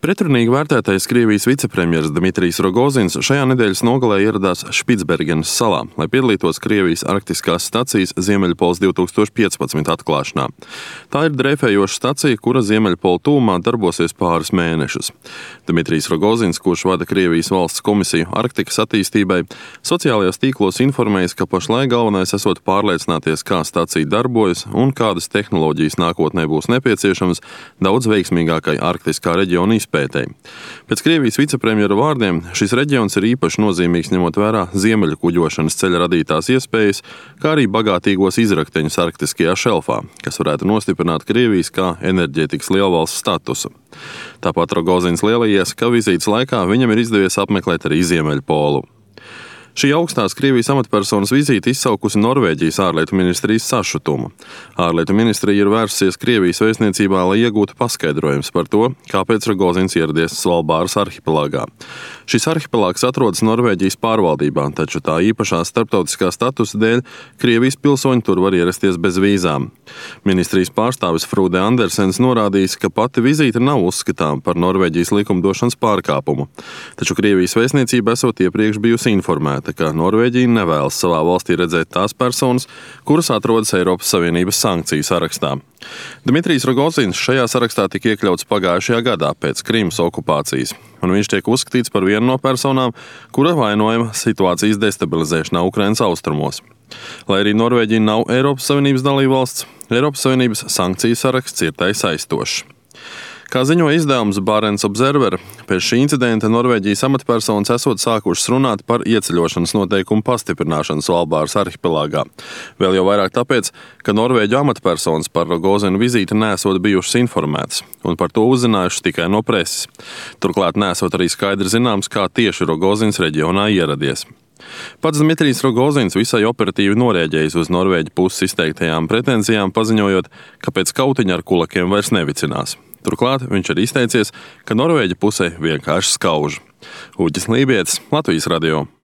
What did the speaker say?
Pretrunīgi vērtētais Krievijas vicepremjers Dmitrijs Rogozins šajā nedēļas nogalē ieradās Špicbergenas salā, lai piedalītos Krievijas arktiskās stacijas Ziemeļpols 2015 atklāšanā. Tā ir dreifējoša stacija, kura Ziemeļpola tuvumā darbosies pāris mēnešus. Dmitrijs Rogozins, kurš vada Krievijas valsts komisiju Arktikas attīstībai, sociālajos tīklos informējis, ka pašlaik galvenais esot pārliecināties, kā stacija darbojas un kādas tehnoloģijas nākotnē būs nepieciešamas daudz veiksmīgākai arktiskā reģiona izpētei. Pēc Krievijas vicepremjera vārdiem šis reģions ir īpaši nozīmīgs ņemot vērā ziemeļu kuģošanas ceļa radītās iespējas, kā arī bagātīgos izrakteņus arktiskajā šelfā, kas varētu nostiprināt Krievijas kā enerģētikas lielvalsts statusu. Tāpat Rogozins lielījies, ka vizītes laikā viņam ir izdevies apmeklēt arī Ziemeļpolu. Šī augstās Krievijas amatpersonas vizīte izsaukusi Norvēģijas ārlietu ministrijas sašutumu. Ārlietu ministrija ir vērsusies Krievijas vēstniecībā, lai iegūtu paskaidrojums par to, kāpēc Rogozins ieradies Svalbāras arhipelāgā. Šis arhipelāgs atrodas Norvēģijas pārvaldībā, taču tā īpašā starptautiskā statusa dēļ Krievijas pilsoņi tur var ierasties bez vīzām. Ministrijas pārstāvis Frūde Andersens norādījis, ka pati vizīte nav uzskatām par Norvēģijas likumdošanas pārkāpumu, taču Krievijas vēstniecība esot iepriekš bijusi informēta, ka Norvēģija nevēlas savā valstī redzēt tās personas, kuras atrodas Eiropas Savienības sankciju sarakstā. Dmitrijs Rogozins šajā sarakstā tika iekļauts pagājušajā gadā pēc Krimas okupācijas, un viņš tiek uzskatīts par vienu no personām, kura vainojama situācijas destabilizēšanā Ukrainas austrumos. Lai arī Norvēģija nav Eiropas Savienības dalībvalsts, Eiropas Savienības sankciju saraksts ir tai saistošs. Kā ziņo izdevums Barents Observer, pēc šī incidenta Norvēģijas amatpersonas esot sākušas runāt par ieceļošanas noteikumu pastiprināšanu Svalbāras arhipelāgā. Vēl jau vairāk tāpēc, ka Norvēģu amatpersonas par Rogozinu vizīti nesot bijušas informētas un par to uzzinājušas tikai no preses. Turklāt nesot arī skaidri zināms, kā tieši Rogozins reģionā ieradies. Pats Dmitrijs Rogozins visai operatīvi norēģējis uz Norvēģu puses izteiktajām pretenzijām, paziņojot, ka pēc kautiņa ar kulakiem vairs nevicinās. Turklāt viņš ir izteicies, ka Norvēģa pusē vienkārši skauž. Uģis Lībietis, Latvijas radio.